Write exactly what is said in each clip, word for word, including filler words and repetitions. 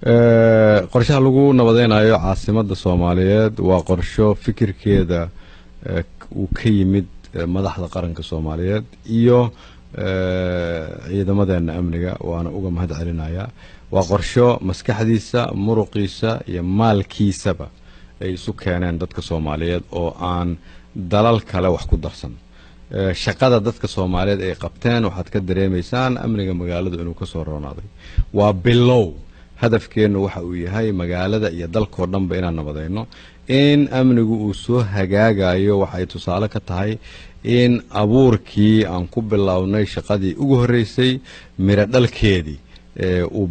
Qorshaha lagu nabadeynayo caasimadda Soomaaliyeed waa qorsho fikirkeeda uu ka yimid madaxda qaranka Soomaaliyeed iyo ciidamadeena amniga, waana uga mahad celinayaa. Waa qorsho maskaxdiisa, muruqiisa iyo maalkiisaba ay isu keeneen dadka Soomaaliyeed oo aan dalal kale wax ku darsan. Shaqada dadka Soomaaliyeed ay qabteen waxaad ka dareemaysaan amniga magaaladu inuu kasoo roonaaday. Waa bilow. Hadafkeennu waxa uu yahay magaalada iyo dalkoo dhanba inaan nabadayno. In amnigu uu soo hagaagayo waxay tusaale ka tahay in abuurkii aan ku bilownay shaqadii ugu horreysay miro dhalkeedii uu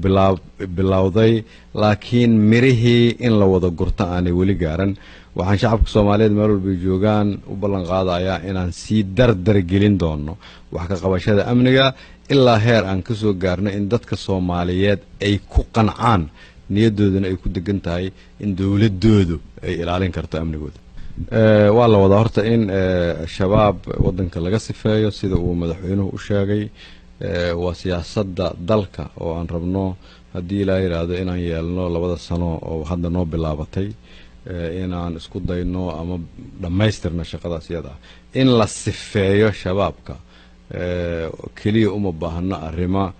bilowday, laakiin mirihii in la wada gurto aanay weli gaaran. Waxaan shacabka Soomaaliyeed meel walbay joogaan u ballan qaadayaa inaan sii dardar gelin doono wax ka qabashada amniga ilaa heer aan ka soo gaarno in dadka Soomaaliyeed ay ku qancaan, niyadooduna ay ku degan tahay in dowladoodu ay ilaalin karto amnigooda. Waa la wadaa horta in Shabaab waddanka laga sifeeyo, sida uu madaxweynuhu u sheegay. Waa siyaasadda dalka oo aan rabno, haddii ilaa yidhaahdo, inaan yeelno labada sano oo hadda noo bilaabatay inaan isku dayno ama dhammaystirno shaqadaas iyada ah. In la sifeeyo Shabaabka keliya uma baahno arrimo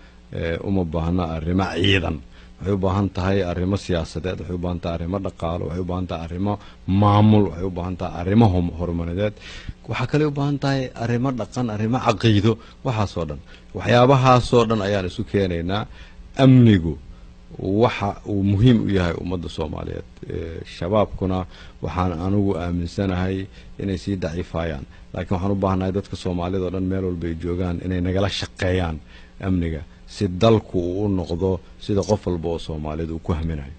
uma baahno arrimo ciidan. Waxay u baahan tahay arrimo siyaasadeed, waxay u baahan tahay arrimo dhaqaalo, waxay u baahan tahay arrimo maamul, waxay u baahan tahay arrimo horumarineed. Waxaa kale u baahan tahay arrimo dhaqan, arrimo caqiido. Waxaasoo dhan, waxyaabahaasoo dhan ayaan isu keenaynaa. Amnigu waxa uu muhiim u yahay ummadda Soomaaliyeed. Shabaabkuna waxaan anigu aaminsanahay inay sii daciifayaan, laakiin waxaan u baahanahay dadka Soomaalida o dhan meel walba ay joogaan inay nagala shaqeeyaan amniga si dalku uu u noqdo sida qof walba oo Soomaaliyeed uu ku haminayo.